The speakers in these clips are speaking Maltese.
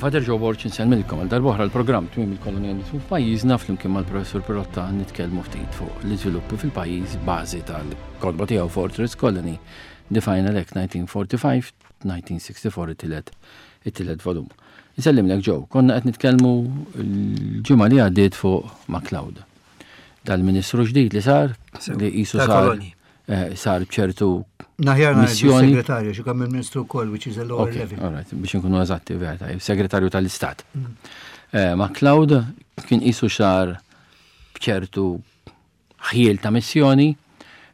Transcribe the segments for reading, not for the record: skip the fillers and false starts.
Father Joe Borg insellmilkom għal darb'oħra l-programm Tmiem il-Kolonjalizmu f'pajjiżna flimkien mal-Professur Pirotta nitkellmu ftit fuq l-iżviluppi fil-pajjiż bażi tal-kotba tiegħu Fortress Colony, The Final Act 1945, 1964 it-tielet it-tielet volum. Insellimlek Joe, konna qed nitkellmu l-ġimgħa li għaddiet fuq MacLeod. Dal-Ministru ġdid li sar, li qisu sar Eh, sar ċertu Naħjar missjoni. Segretarju, xi kemm il-Ministru wkoll, which is a lower level. All right, biex inkunu eżatti, vera, segretarju tal-Istat. Eh, ma' Cloud kien qisu sar b'ċertu ħjiel ta' missjoni,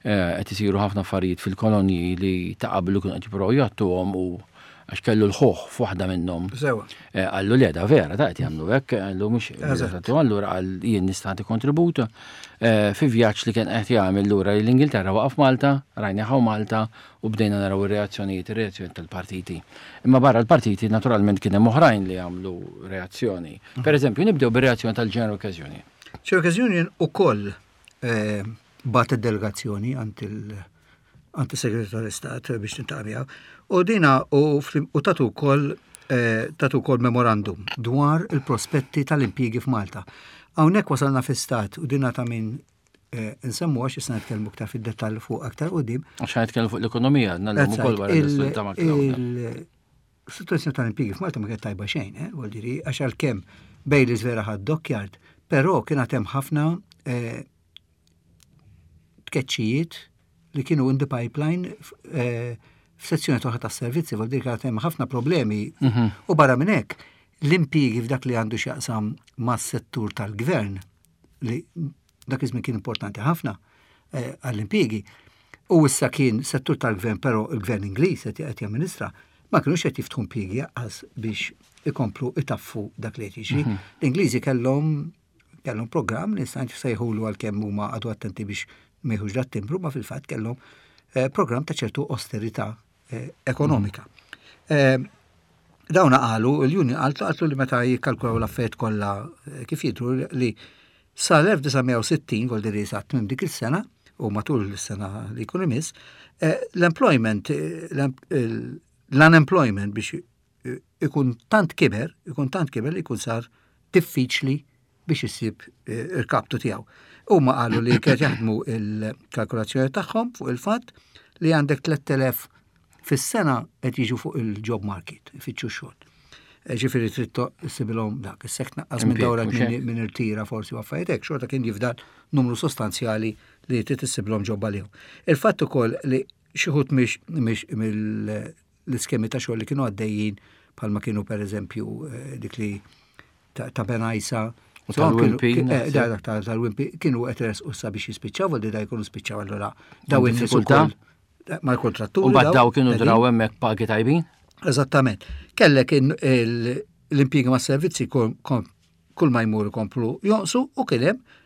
eh, qed isiru ħafna affarijiet fil-kolonji li ta' qablu kienu qed jippruvaw jgħattuhom u għax kellu l-ħuħ f'waħda minnhom. Sewa. Eh, qallu le da vera, ta' qed jagħmlu hekk, qallu mhux eżatt. Allura qal jien nista' nagħti kontribut eh, fi vjaġġ li kien qed jagħmel lura l-Ingilterra waqaf Malta, rajna ħaw Malta u bdejna naraw ir-reazzjonijiet, ir-reazzjoni tal-partiti. Imma barra l-partiti naturalment kien hemm oħrajn li għamlu reazzjoni. Mhm. Per eżempju, nibdew bir-reazzjoni tal-General Workers Union. General Workers Union ukoll eh, bat id-delegazzjoni għand il- għand is-Segretarju tal-Istat biex tintaqa' miegħu. U dina u tatu wkoll eh, tatu wkoll memorandum dwar il-prospetti tal-impjiegi f'Malta. Hawnhekk wasalna fi stat u dina ta' min eh, nsemmu għax issa nitkellmu aktar fid-dettall fuq aktar qudiem. Għax nitkellmu fuq l-ekonomija, nagħmlu ukoll wara l-istat ta' Situazzjoni tal-impjiegi f'Malta ma kienet tajba xejn, eh, vuol dire, għax għalkemm Baileys vera ħad dockyard, però kien hemm ħafna eh, tkeċċijiet li kienu in the pipeline eh, f'sezzjoni toħra tas-servizzi, vuol dire kien hemm ħafna problemi. U barra minn hekk, l-impjiegi f'dak li għandu x'jaqsam mas-settur tal-gvern li dak iż-żmien kien importanti ħafna eh, għall-impjiegi. U issa kien settur tal-gvern, però il-gvern Ingliż qed qed jamministra, ma kinux qed jiftħu impjiegi għas biex ikomplu itaffu dak li qed jiġri. L-Ingliżi kellhom kellhom programm li nista' sejħulu għalkemm huma għadu attenti biex ma jieħux dat timbru, ma fil-fatt kellhom eh, programm ta' ċertu austerità eh, ekonomika. Eh, dawna qalu, il-union qaltu qaltu li meta jikkalkulaw l-affarijiet kollha kif jidhru li sal-1960, vol diri sa tmiem dik il-sena, u matul is-sena li jkun imiss, l-employment, l-unemployment biex ikun tant kiber, ikun tant kiber li jkun sar diffiċli biex issib eh, il-kaptu tiegħu. Huma qalu li kienet jaħdmu il-kalkulazzjoni tagħhom fuq il-fatt li għandek 3000 fis-sena qed jiġu fuq il-job market, ifittxu xogħol. Eh, ġifieri trid issibilhom dak, is-sek tnaqqas minn dawra minn irtira forsi u affarijiet hekk, xorta kien jifdal numru sostanzjali li trid issibilhom ġobba għalihom. Il-fatt ukoll li xi ħut mhix mill l-iskemi ta' xogħol li kienu għaddejjin bħalma kienu per eżempju eh, dik li ta' Benajsa. U tal-Wimpi. Eh, dak tal-Wimpi kienu qed resqu sa biex jispiċċaw, għaldi da jkunu spiċċaw allura daw in-nies ukoll eh, mal-kontratturi. U bad daw kienu draw hemmhekk pagi tajbin? Eżattament. Kellek l-impjiegi ma' servizzi kull ma jmur ikomplu jonqsu u kien hemm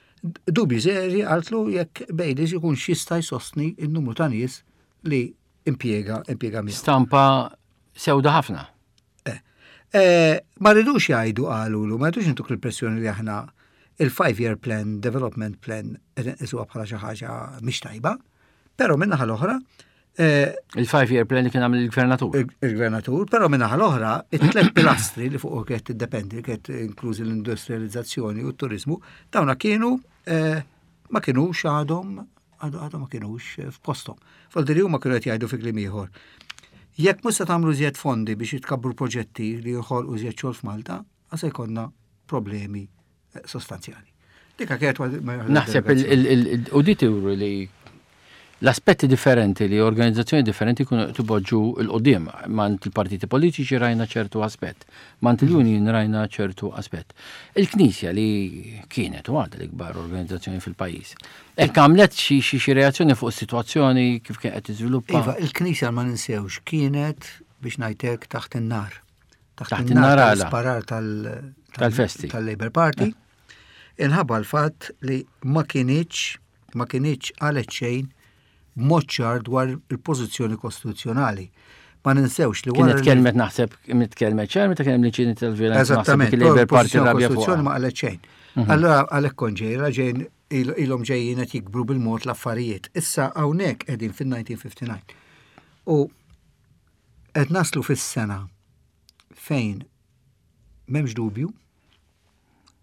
dubji seri għaltlu jekk Baileys ikun xista jsostni n-numru ta' nies li impjega impjega miegħu. Stampa sewda ħafna. Eh, eh, ma rridux jgħidu qalulu, ma rridux intuk l-impressjoni li aħna il-five year plan, development plan, qed inqisuha bħala xi ħaġa mhix tajba, però min-naħa l-oħra eh, Il-five year plan li kien għamil il-gvernatur. Il-gvernatur, però min-naħa l-oħra, it-tlet pilastri li fuq kienet tiddependi, kienet inklużi l-industrializzazzjoni u t-turizmu, dawna kienu eh, ma kienux għadhom għadhom ma kienux eh, f'posthom. Faldiri huma kienu qed jgħidu fi kliem ieħor. Jekk mhux se tagħmlu żjed fondi biex jitkabru proġetti li joħolqu żjed xogħol f'Malta, se jkollna problemi eh, sostanzjali. Dika kienet Naħseb u di turu li l-aspetti differenti li organizzazzjoni differenti kunu tiboġġu l-qudiem. Mant il-partiti politiċi rajna ċertu aspett, mant il-union rajna ċertu aspett. Il-Knisja li kienet u għadha l-ikbar organizzazzjoni fil-pajjiż. Hekk għamlet xi xi reazzjoni fuq is-sitwazzjoni kif kien qed tiżviluppa. Iva, il-Knisja ma ninsewx kienet biex ngħidlek taħt in-nar. Taħt in-nar għala? Sparar tal-festi. Tal-Labour Party. Eh. Inħabba l-fatt li ma kienx ma kienx qalet xejn b'mod ċar dwar il-pożizzjoni kostituzzjonali. Ma ninsewx li wara. Kienet kelmet naħseb, kienet kelmet ċar meta kien hemm l-inċident tal-violenza. Eżattament, il-Labour Party rabja fuq. Ma qalet xejn. Mhm. Allora għalhekk kont ġejra ġejn ilhom ġejjin qed jikbru bil-mod l-affarijiet. Issa hawnhekk qegħdin fin-1959. U qed naslu fis-sena fejn M'hemmx dubju,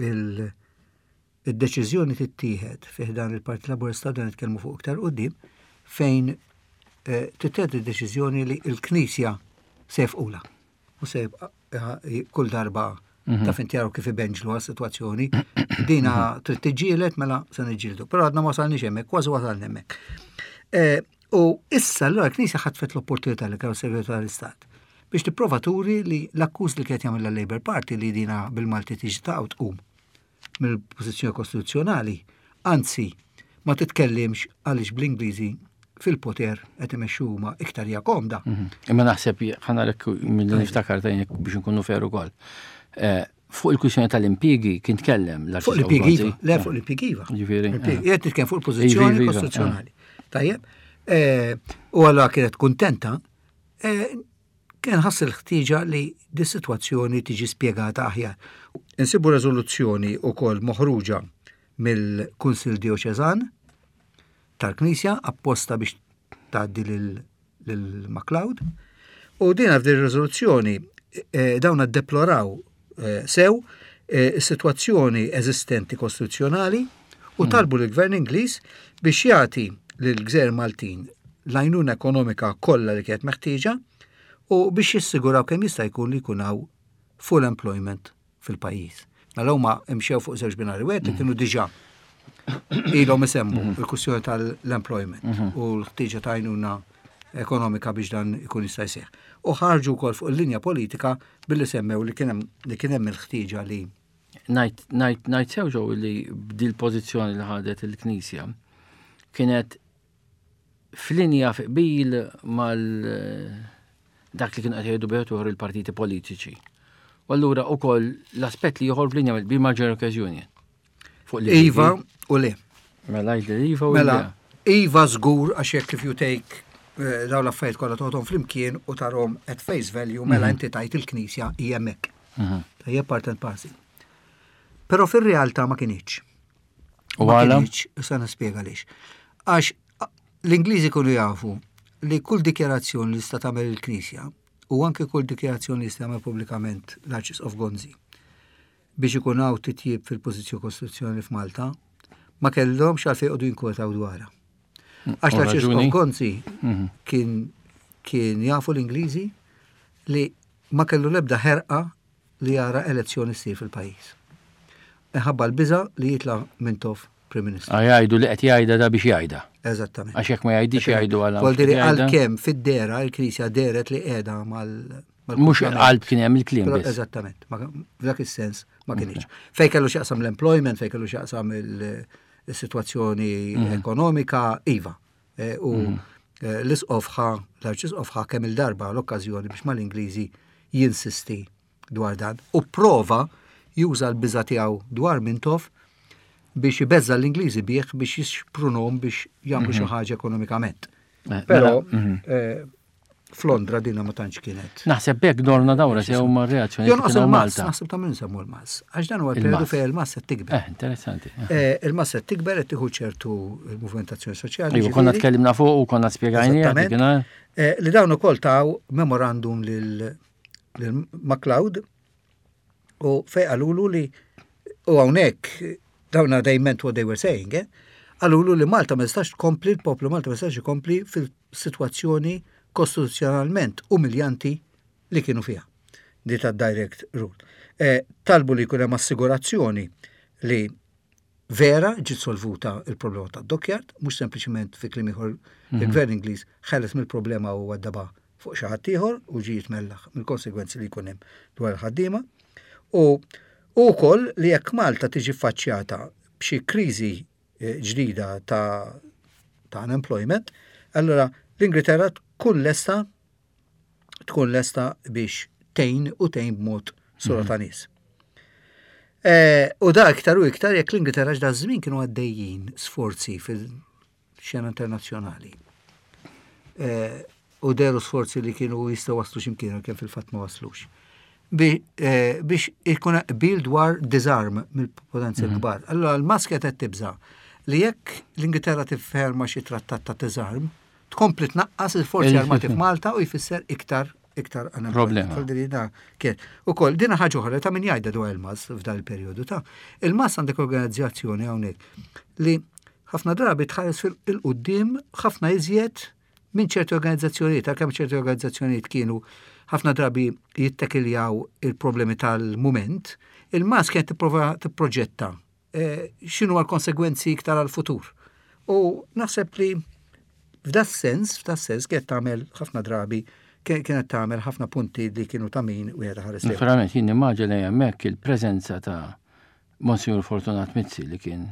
il-deċiżjoni tittieħed fi ħdan il-Partit Laburista dan nitkellmu fuq iktar quddiem fejn eh, tittieħed id-deċiżjoni li l-Knisja se jefqula u se kull darba mhm. ta' finti jaraw kif ibenġlu għas-sitwazzjoni. Dina mhm. trid tiġġieled mela se niġġieldu. Però għadna ma wasalniex hemmhekk, kważi wasalna hemmhekk. Eh, u issa allura l-Knisja ħatfet l-opportunità li kellu segretarju tal-Istat biex tipprova turi li l-akkuż li kienet jagħmel l-Labour Party li dina bil-Malti tiġi ta' tqum mill-pożizzjoni kostituzzjonali, anzi ma titkellimx għaliex bl-Ingliżi fil-poter qed imexxu huma iktar hija komda. Mhm. Imma naħseb ħanarek milli niftakar tajjeb biex nkunu fer ukoll. Eh, fuq il-kwistjoni tal-impjiegi kien tkellem l Fuq l-impjiegi iva, le fuq l-impjiegi iva. Ġifieri. Eh. Qed nitkellem fuq il-pożizzjoni iva, iva, kostituzzjonali. Eh. Tajjeb. U allura kienet kuntenta kien ħass il-ħtieġa li dis-sitwazzjoni tiġi spjegata aħjar. Insibu reżoluzzjoni wkoll moħruġa mill-Kunsill Dioċeżan tal-Knisja apposta biex tgħaddi lil MacLeod. U din f'din ir-riżoluzzjoni eh, dawn deploraw eh, sew eh, is-sitwazzjoni eżistenti kostituzzjonali u hmm. talbu lill-Gvern Ingliż biex jagħti lill-Gżejjer Maltin l-għajnuna ekonomika kollha li kienet meħtieġa u biex jissiguraw kemm jista' jkun li jkun hawn full employment fil-pajjiż. Mela huma imxew fuq żewġ binari wieħed li kienu diġà ilhom isemmu mhm. il-kwistjoni tal-employment mhm. u l-ħtieġa ta' għajnuna ekonomika biex dan ikun jista' jseħħ. U ħarġu wkoll fuq il-linja politika billi semmew li kien hemm il-ħtieġa li Najt sew ġew li b'dil pożizzjoni li ħadet il-Knisja kienet f'linja fi qbil mal dak li kienu qed jgħidu bejn uħor il-partiti politiċi. U allura ukoll l-aspett li joħor f'linja bil mal-General Workers Union. Fuq li Iva u le. Mela jgħid Iva u mela, Iva żgur għax jekk if you take eh, dawn l-affarijiet kollha toħodhom flimkien u tarhom at face value mela mhm. inti tajt il-Knisja hija hemmhekk. Mhm. Tajjeb part and parcel. Però fir-realtà ma kinitx. U għala? Issa nispjega għaliex. Għax l-Ingliżi kunu jafu li kull dikjarazzjoni li sta tagħmel il-Knisja u anke kull dikjarazzjoni li sta tagħmel pubblikament l-Arċisqof Gonzi biex ikun hawn titjib fil-pożizzjoni kostituzzjonali f'Malta, ma kellhomx għalfejn jqogħdu jinkwetaw dwarha. Għax l-Arċisqof Gonzi mhm. kien kien jafu l-Ingliżi li ma kellu l-ebda ħerqa li jara elezzjoni ssir fil-pajjiż. Minħabba l-biża' li jitla' Mintoff Prim Ministru. Ah, jgħidu li qed jgħidha da biex jgħidha. Eżattament. Għax jekk ma jgħidix jgħidu għal. Voldiri għalkemm fid-dera il-Knisja deret li qiegħda mal Mhux qalb kien hemm il-kliem biss. Eżattament, f'dak is-sens ma kienx. Fej kellu x'jaqsam l-employment, fej kellu x'jaqsam il-sitwazzjoni mhm. ekonomika, iva. Eh, u mhm. eh, l-isqof ħa, l-arċisqof ħa kemm il-darba l-okkażjoni biex mal-Ingliżi jinsisti dwar dan u prova juża l-biża tiegħu dwar Mintoff biex ibeżza l-Ingliżi bih biex jixprunhom biex jagħmlu xi mhm. ħaġa ekonomikament. Eh, Però mela, mhm. Flondra dina ma tantx kienet. Naħseb hekk dorna dawra sew ma' reazzjoni. Jonqos il-Malta. Naħseb ta' minn semmu l-Mals. Għax dan huwa l-periodu fejn il-Mals qed tikber. Eh, interessanti. Eh. eh, il-Mals qed tikber qed tieħu ċertu l-movimentazzjoni soċjali. Iva, konna tkellimna fuq u konna spjegajni. Eh, li dawn ukoll taw memorandum lil MacLeod u fej qalulu li u hawnhekk dawn they meant what they were saying, eh? Qalulu li Malta ma jistax tkompli, l-poplu Malta ma jistax ikompli fil-sitwazzjoni kostituzzjonalment umiljanti li kienu fiha. Di ta' direct rule. E, talbu li jkun hemm assigurazzjoni li vera ġiet solvuta il-problema ta' dockyard, mhux sempliċement fi kliem ieħor mhm. il-gvern Ingliż ħeles mill-problema u għaddaba fuq xi ħadd ieħor u ġie jitmellaħ mill-konsegwenzi li jkun hemm dwar il-ħaddiema. U wkoll li jekk Malta tiġi ffaċċjata b'xi kriżi eh, ġdida ta' ta' unemployment, allora l-Ingilterra tkun lesta tkun lesta biex tgħin u tgħin b'mod sura ta' nies. Eh, u da iktar u iktar jekk l-Ingilterra ġda żmien kienu għaddejjin sforzi fil-xena internazzjonali. Eh, u deru sforzi li kienu jistgħu waslu x'imkien kemm fil-fatt ma waslux. Eh, biex ikun qbil dwar disarm mill-potenzi mhm. l-kbar. Allora l-maskja qed tibża' li jekk l-Ingilterra tifferma xi trattat ta' disarm, tkompli tnaqqas il-forzi armati f'Malta u jfisser iktar iktar problema. Kien. Ukoll dina ħaġa oħra ta' min jgħidha dwar il-MAS f'dan il-perjodu ta' il-MAS għandek organizzazzjoni hawnhekk li ħafna drabi tħares fil-qudiem ħafna iżjed minn ċerti organizzazzjonijiet, għalkemm ċerti organizzazzjonijiet kienu ħafna drabi jittekiljaw il-problemi tal-mument, il-MAS kienet tipprova tipproġetta eh, x'inhu għal-konsegwenzi iktar għal-futur. U naħseb li f'da sens, f'da sens kienet tagħmel ħafna drabi kienet tagħmel ħafna punti li kienu ta' min wieħed ħares. Naturalment jien nimmaġina hemmhekk il-preżenza ta' Monsignor Fortunat Mizzi li kien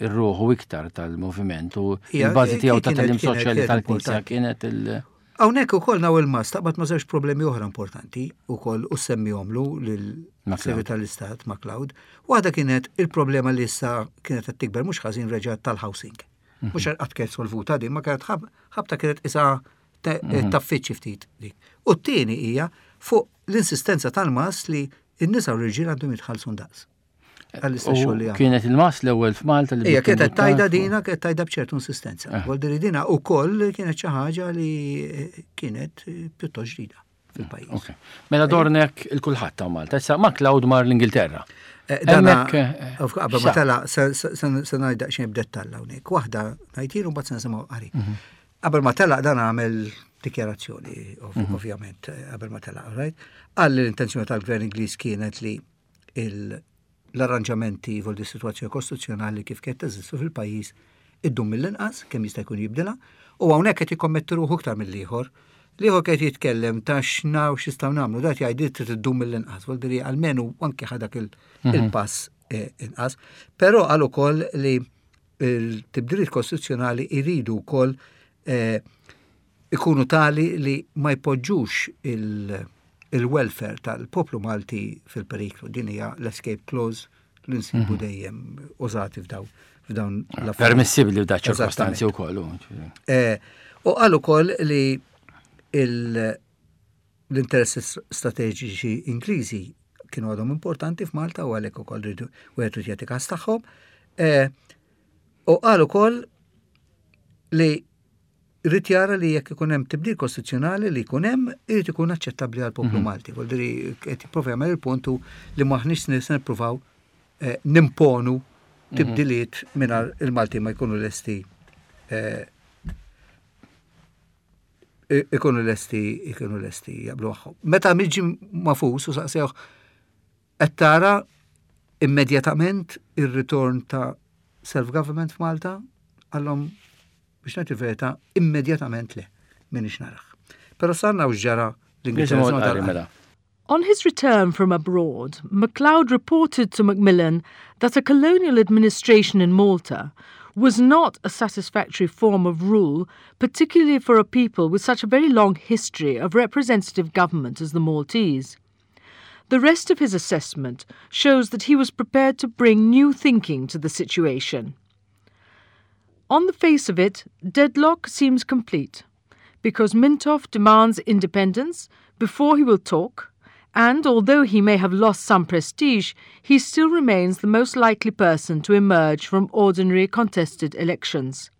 ir-ruħu iktar tal-moviment u l-bażi tiegħu ta' tagħlim soċjali tal-Knisja kienet il- Hawnhekk ukoll naw il-mas taqbad ma' żewġ problemi oħra importanti ukoll u semmihomlu lil Segretarju tal-Istat MacLeod. Waħda kienet il-problema li issa kienet qed tikber mhux ħażin reġa' tal-housing. Mhm. Mhux qatt kienet solvuta din, ma kienet ħabta kienet isa mhm. taffiċċi ftit dik. U t-tieni hija fuq l-insistenza tal-mas li n-nisa u l-irġiel għandhom jitħallsu ndaqs. Għall-istess xogħol li Kienet il-mas l-ewwel f'Malta li. Ija kienet tajda dina, kienet tajda b'ċertu insistenza. Eh. Vuol dina wkoll kienet xi ħaġa li eh, kienet eh, pjuttost ġdida fil-pajjiż. Mela dornek il-kulħadd ta' Malta. Issa ma Cloud mar l-Ingilterra. Dana, qabel ma tela, se ngħid daqsxejn b'dettall hawnhekk. Waħda ngħid u mbagħad se nisimgħu qari. Mhm. Qabel ma telaq dan għamel dikjarazzjoni, mhm. ovvjament, qabel ma telaq, right? Qal li l-intenzjoni tal-gvern Ingliż kienet li l-arranġamenti vol di situazzjoni kostituzzjonali kif kienet teżistu fil-pajjiż iddum mill-inqas kemm jista' jkun jibdilha u hawnhekk qed jikkommetti ruħu iktar mill-ieħor. L-ieħor qed jitkellem ta' x'naw x'nistgħu nagħmlu, dat jgħid trid iddum mill-inqas, vol diri almenu anke ħadak mhm. il-pass eh, inqas. Però qal ukoll li il-tibdiliet kostituzzjonali jridu wkoll eh, ikunu tali li ma jpoġġux il-welfare tal-poplu Malti fil-periklu. Din hija l-escape clause li nsibu mhm. dejjem użati f'daw f'dawn l Permissibli f'da ċirkostanzi wkoll. Eh, u qal ukoll li l-interessi strateġiċi Ingliżi kienu għadhom importanti f'Malta u għalhekk ukoll rridu wieħed jagħti każ tagħhom. Eh, u qal ukoll li Irid jara li jekk ikun hemm tibdil kostituzzjonali li jkun hemm, irid ikun aċċettabbli għall-poplu mhm. Malti. Vuol dire qed jipprova jagħmel il-punt li m'aħniex se nippruvaw eh, nimponu mhm. tibdiliet mingħajr il-Malti ma jkunu lesti eh, ikunu lesti ikunu lesti jaqblu magħhom. Meta miġi mafus u saqsewh Qed tara immedjatament ir-ritorn ta' self-government f'Malta? Qallhom biex ngħid il-verità, immedjatament le, m'iniex narah. Però sa naraw x'ġara l-Ingilterra. Mela. On his return from abroad, MacLeod reported to Macmillan that a colonial administration in Malta was not a satisfactory form of rule, particularly for a people with such a very long history of representative government as the Maltese. The rest of his assessment shows that he was prepared to bring new thinking to the situation. On the face of it, deadlock seems complete, because Mintoff demands independence before he will talk, and although he may have lost some prestige, he still remains the most likely person to emerge from ordinary contested elections.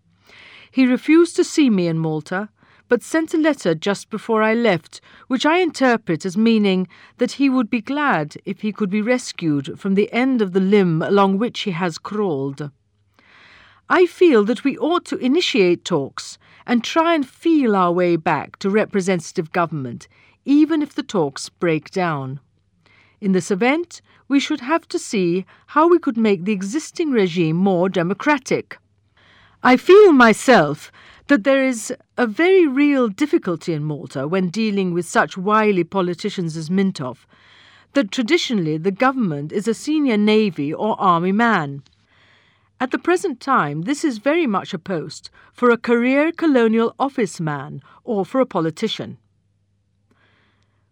He refused to see me in Malta, but sent a letter just before I left, which I interpret as meaning that he would be glad if he could be rescued from the end of the limb along which he has crawled. I feel that we ought to initiate talks and try and feel our way back to representative government, even if the talks break down. In this event, we should have to see how we could make the existing regime more democratic. I feel myself that there is a very real difficulty in Malta when dealing with such wily politicians as Mintoff, that traditionally the government is a senior navy or army man. At the present time, this is very much a post for a career colonial office man or for a politician.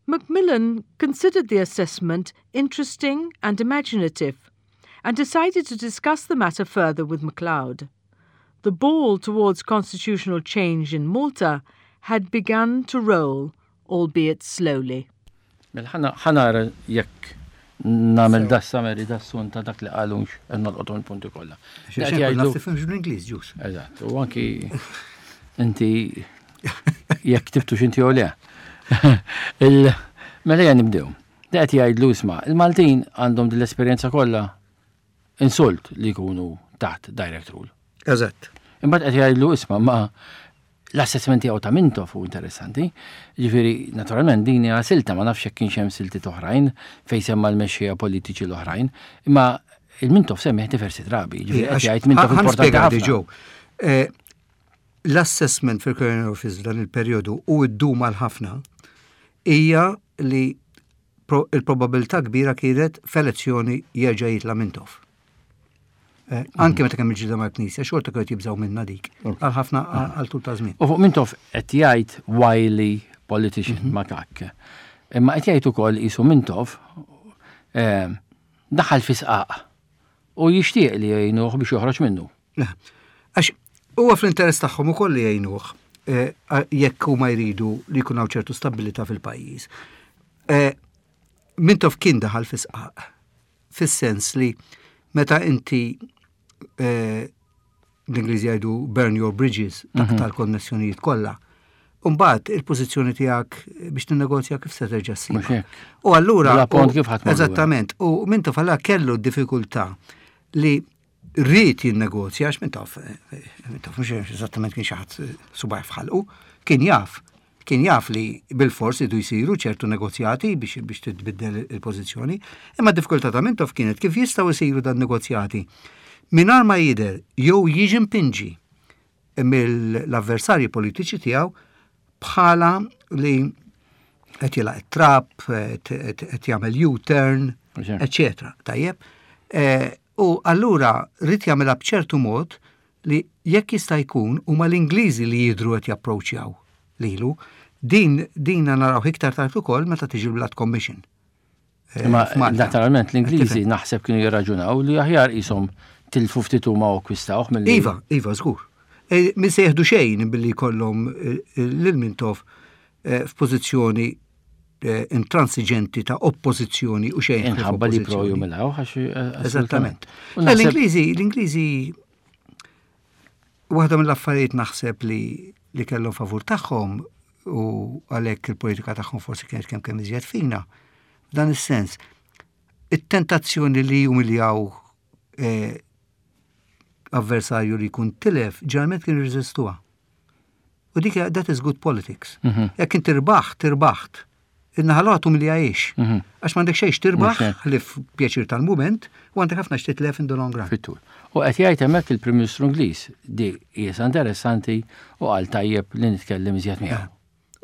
Macmillan considered the assessment interesting and imaginative and decided to discuss the matter further with MacLeod. The ball towards constitutional change in Malta had begun to roll, albeit slowly. Mela ħa nara jekk nagħmel da summary da sun ta' dak li qalux qed nolqothom il-punti kollha. Qed jgħidu tifhimx bl-Ingliż ġus. Eżatt, u anki inti jekk ktibtux inti jew le. Mela ejja nibdew. Da qed jgħidlu isma' il-Maltin għandhom din l-esperjenza kollha insult li jkunu taħt direct rule. Eżatt. Imbagħad qed jgħidlu isma' ma l-assessment tiegħu ta' Mintoff hu interessanti. Ġifieri, naturalment din hija silta ma nafx jekk kienx hemm siltiet oħrajn fejn semma l-mexxejja politiċi l-oħrajn, imma il-Mintoff semmih diversi drabi. Ġifieri qed jgħid Mintoff importanti ħafna. Eh, l-assessment fil-Colonial Office f'dan il-perjodu u ddum għal ħafna hija li il-probabilità kbira kienet f'elezzjoni jerġa' jitla' Mintoff. Eh, anke meta kemm il-ġilda mal-Knisja, xorta kienu jibżgħu minna dik. Għal ħafna għal tul ta' żmien. U fuq Mintoff qed jgħid wily politician mhm. ma kak. Imma qed jgħid ukoll isu Mintoff eh, daħal fi sqaq u jixtieq li jgħinuh biex joħroġ minnu. Għax huwa fl-interess tagħhom ukoll li jgħinuh eh, jekk huma jridu li jkun hawn ċertu stabilità fil-pajjiż. Eh, Mintoff kien daħal fi sqaq, fis-sens li meta inti eh, l-Ingliżi jgħidu burn your bridges, mhm. taqta' l-konnessjonijiet kollha. Umbagħad il-pożizzjoni tiegħek biex tinnegozja kif se terġa' ssib. U allura Eżattament, u Mintoff allura kellu d-diffikultà li ried jinnegozja, għax Mintoff, Mintoff mhux eżattament kien xi ħadd subgħajh f'ħalqu, kien jaf, kien jaf li bilfors idu jsiru ċertu negozjati biex biex titbiddel il-pożizzjoni, imma d-diffikultà ta' Mintoff kienet kif jistgħu jsiru dan negozjati mingħajr ma jidher jew jiġi mpinġi mill-avversarji politiċi tiegħu bħala li qed jilaq it-trap, qed jagħmel U-turn, eċetera. Tajjeb. Eh, u allura rrid jagħmilha b'ċertu mod li jekk jista' jkun huma l-Ingliżi li jidhru qed japproċċjaw lilu. Din din naraw iktar tard ukoll meta tiġi l-Blood Commission. Eh, Imma naturalment l-Ingliżi naħseb kienu jirraġunaw li aħjar qishom tilfu ftit huma u akkwistawh mill Iva, iva, żgur. E, min se jieħdu xejn billi jkollhom eh, lil Mintoff eh, f'pożizzjoni intransiġenti ta' oppożizzjoni u xejn. Inħabba li pro jumilaw għax. Eżattament. L-Ingliżi, l-Ingliżi waħda mill-affarijiet naħseb li li kellhom favur tagħhom u għalhekk il-politika tagħhom forsi kienet kemm kemm iżjed fina. F'dan is-sens, it-tentazzjoni li jumiljaw eh, avversarju li jkun tilef, ġeneralment kien jirreżistuha. U dik that is good politics. Mhm. Jekk inti rbaħt, irbaħt. In-naħa l-oħra tumilja ix. Mhm. Għax m'għandek xejn tirbaħ ħlief pjaċir tal-mument u għandek ħafna x'titlef in the long run. Fit-tul. U qed jgħid hemmhekk il-Prim Ministru Ingliż di qiesha interessanti u qal tajjeb li nitkellem iżjed miegħu.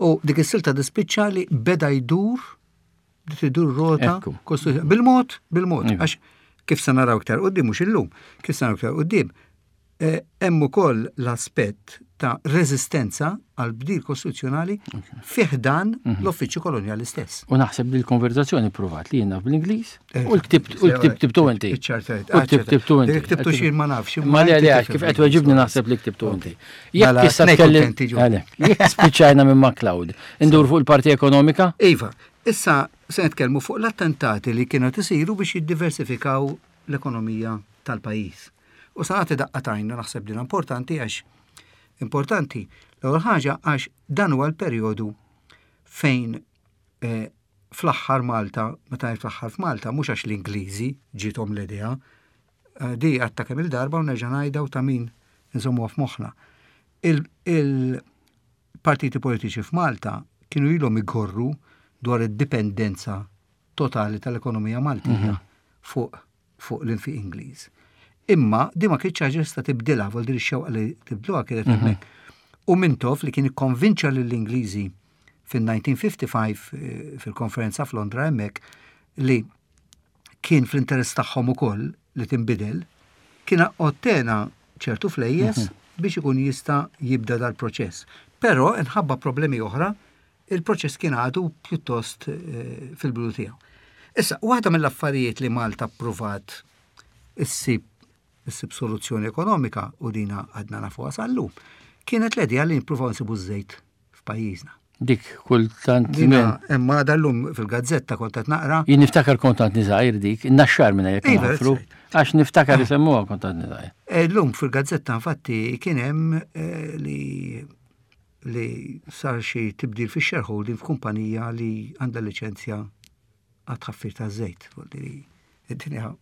U dik is-silta dispiċċa li beda jdur bdiet idur rota bil-mod, bil-mod, iva. għax kif se naraw iktar qudiem mhux illum, kif se naraw iktar qudiem, eh, hemm ukoll l-aspett ta' reżistenza għal bdil kostituzzjonali fih dan mhm. l-uffiċċju kolonjali stess. U naħseb li l-konverzazzjoni provat li jiena bl-Ingliż eh, u l-ktibt u l-ktibt tibtu inti. U l-ktibt tibtu inti. Ktibtu xi ma nafx. Ma le le kif qed weġibni naħseb li ktibtu inti. Jekk mela, issa tkellim. Jekk spiċċajna minn MacLeod, indur fuq il-parti ekonomika? Iva, issa se nitkellmu fuq l-attentati li kienu isiru biex jiddiversifikaw l-ekonomija tal-pajjiż. U sa nagħti daqqa t'għajn naħseb din importanti għax importanti l-ewwel ħaġa għax dan huwa l-perjodu fejn eh, fl-aħħar Malta, meta ngħid fl-aħħar f'Malta, mhux għax l-Ingliżi ġiethom l-idea, eh, di għatta kemm il-darba u nerġa' ngħidha u ta' min nżommuha f'moħħna. Il-partiti politiċi f'Malta kienu ilhom igorru dwar id-dipendenza totali tal-ekonomija Maltija mhm. fuq fuq l-infiq Ingliż. Imma di ma kienx ħaġa tista' tibdilha, vol dir ix-xewqa li tibdluha kienet mhm. hemmhekk. U Mintoff li kien ikkonvinċa lill-Ingliżi fil-1955 eh, fil-konferenza f'Londra hemmhekk li kien fl-interess tagħhom ukoll li tinbidel, kien ottena ċertu flejjes mhm. biex ikun jista' jibda dal-proċess. Però inħabba problemi oħra il-proċess kien għadu pjuttost eh, fil-bidu tiegħu. Issa, waħda mill-affarijiet li Malta ppruvat issib issib soluzzjoni ekonomika u dina għadna nafuha sal-lum, kienet l-idea li nippruvaw nsibu ż-żejt f'pajjiżna. Dik kultant. Dina, imma dal-lum fil-gazzetta kont qed naqra. Jien niftakar kont għadni żgħir dik, naxxar minna jekk iva, nafru, għax niftakar isemmuha kont għadni żgħir. Eh, llum fil-gazzetta infatti kien hemm eh, li li sar xi tibdil fix-shareholding f'kumpanija li għandha liċenzja għat-tħaffir taż-żejt. Dinja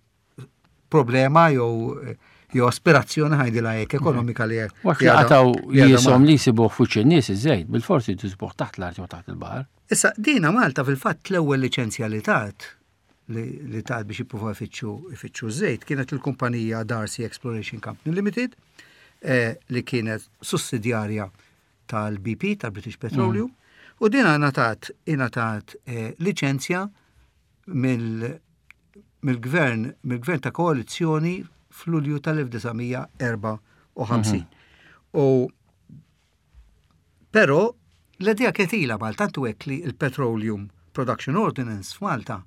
problema jew jew aspirazzjoni ħajdilha hekk ekonomika li hekk. Waqt li qataw jisom li jsibuh fuq in-nies iż-żejt, bil-forsi jsibuh taħt l-art jew taħt il-baħar. Issa dina Malta fil-fatt l-ewwel liċenzja li tat li tat biex jippruvaw ifittxu ifittxu żejt kienet il-kumpanija Darcy Exploration Company Limited eh, li kienet sussidjarja tal-BP tal-British Petroleum mm. u din ingħatat ingħatat eh, liċenzja mill mill-gvern mill-gvern ta' koalizzjoni f'Lulju tal-1954. Mhm. U però l-idea kienet ilha Malta tantu hekk li l-Petroleum Production Ordinance f'Malta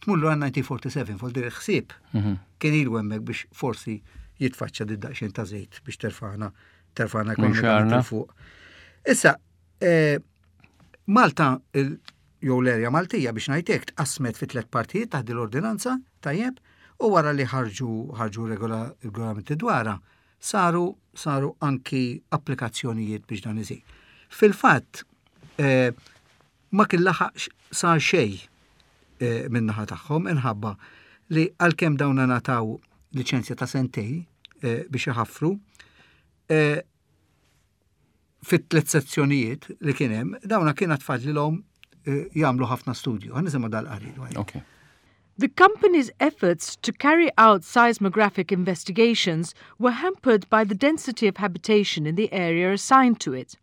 tmur lura 1947 fuq dir ħsieb mhm. kien ilu hemmhekk biex forsi jitfaċċa di daqsxejn ta' żejt biex terfana terfana ekonomikament fuq. Issa, eh, Malta jew l-erja Maltija biex ngħidlek tqasmet fi tliet partijiet taħt l-ordinanza tajjeb u wara li ħarġu ħarġu regolamenti dwarha saru saru anki applikazzjonijiet biex dan isir. Fil-fatt eh, ma kien laħaq sar xejn eh, min-naħa tagħhom inħabba li għalkemm dawn ngħataw liċenzja ta' sentej eh, biex iħaffru, eh, fit-tliet sezzjonijiet li kien hemm, dawna kien tfadlilhom eh, jagħmlu ħafna studju. Ħa nisimgħu dal-qari dwar. Okay. The company's efforts to carry out seismographic investigations were hampered by the density of habitation in the area assigned to it.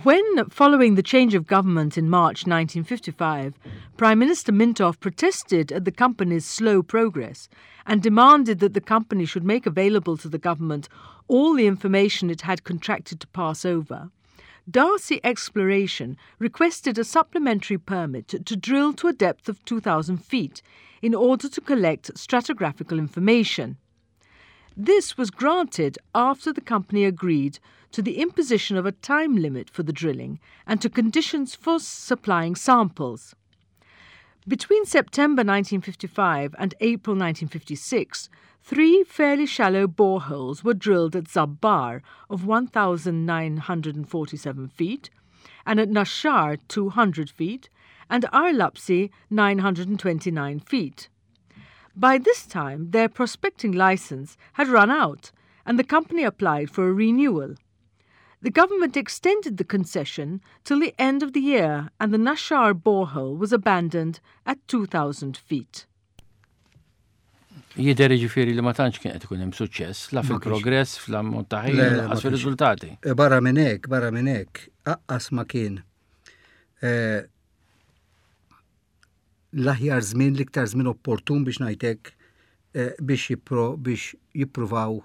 When, following the change of government in March 1955, Prime Minister Mintoff protested at the company's slow progress and demanded that the company should make available to the government all the information it had contracted to pass over, Darcy Exploration requested a supplementary permit to drill to a depth of 2,000 feet in order to collect stratigraphical information. This was granted after the company agreed to the imposition of a time limit for the drilling and to conditions for supplying samples. Between September 1955 and April 1956, three fairly shallow boreholes were drilled at Zabbar of 1,947 feet and at Nashar 200 feet and Arlapsi 929 feet. By this time, their prospecting license had run out and the company applied for a renewal. The government extended the concession till the end of the year and the Nashar borehole was abandoned at 2,000 feet. Jidher jiġifieri li ma tantx kien qed ikun hemm suċċess la fil-progress, fl-ammont ta' ħin, lanqas fir-riżultati. E, barra minn hekk, barra minn hekk, aqqas ma kien e, l-aħjar żmien, l-iktar żmien opportun biex ngħidlek eh, biex jippro biex jippruvaw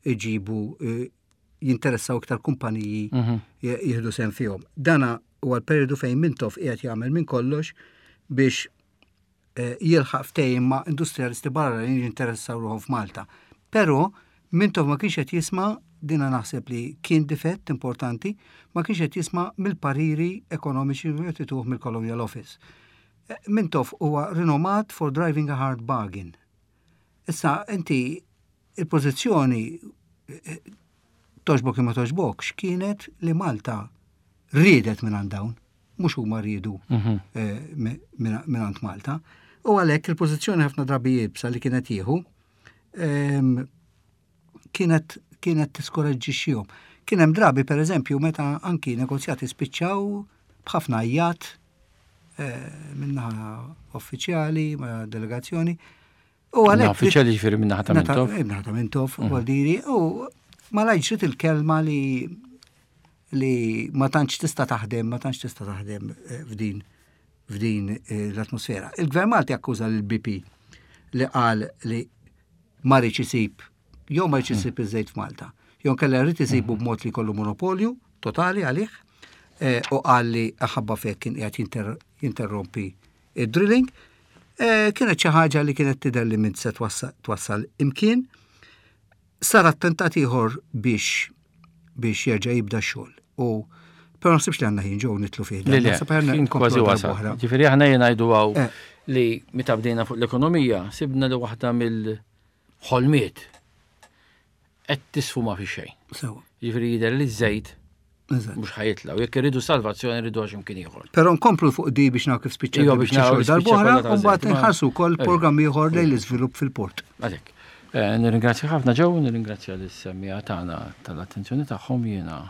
iġibu eh, jinteressaw iktar kumpaniji mhm. jieħdu sem fihom. Dana huwa l-periodu fejn Mintoff qiegħed jagħmel minn kollox biex eh, jilħaq ftehim ma' industrialisti barra li jinteressaw ruħhom f'Malta. Però Mintoff ma kienx qed jisma' dina naħseb li kien difett importanti, ma kienx qed jisma' mill-pariri ekonomiċi li qed ituh mill-Colonial Office. Eh, Mintoff huwa rinomat for driving a hard bargain. Issa inti il-pożizzjoni eh, toġbok imma toġbokx kienet li Malta riedet minn dawn, mhux huma riedu mhm. eh, minn Malta. U għalhekk il-pożizzjoni ħafna drabi jibsa li kienet jieħu kienet kienet tiskoraġġixxihom. Kien hemm drabi pereżempju meta anki negozjati spiċċaw b'ħafna għajjat eh, minnaħa uffiċjali ma' delegazzjoni. U għalhekk uffiċjali ġifieri minnaħa ta' Mintoff. Minnaħa ta' Mintoff, mhm. diri, u ma ġriet il-kelma li li ma tantx tista' taħdem, ma tantx tista' taħdem eh, f'din f'din eh, l-atmosfera. Il-Gvern Malti akkuża l-BP li qal li ma rridx isib jew ma rridx isib hmm. iż-żejt f'Malta. Jew kellha rrid isibu hmm. b'mod li jkollu monopolju totali għalih eh, u qal li aħabba fek kien qiegħed jinterrompi id-drilling. Eh, kienet xi ħaġa li kienet tidher li minn se twassal imkien. Sar attentat ieħor biex biex jerġa' jibda x-xogħol. U però naħsibx li għandna ħin ġew nitlu fih. Le, le, ħin kważi wasal. Ġifieri aħna jien ngħidu hawn eh. li meta bdejna fuq l-ekonomija sibna li waħda mill-ħolmiet qed tisfuma fi xejn. Ġifieri jidher li ż-żejt Mhux ħa jitilgħu. Jekk irridu salvazzjoni irridu għax imkien ieħor. Però nkomplu fuq di biex naraw kif spiċċa. Iva, biex naraw kif darb'oħra u mbagħad nħarsu wkoll programm ieħor lejn l-iżvilupp fil-port. Għalhekk. Eh, nirringrazzja ħafna ġew, nirringrazzja lis-semmiegħa tagħna tal-attenzjoni tagħhom jiena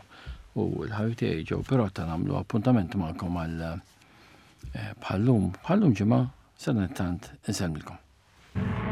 u l-ħabib tiegħi ġew però ta' nagħmlu appuntament magħkom għal eh, bħallum bħallum ġimgħa sadanittant insellmilkom.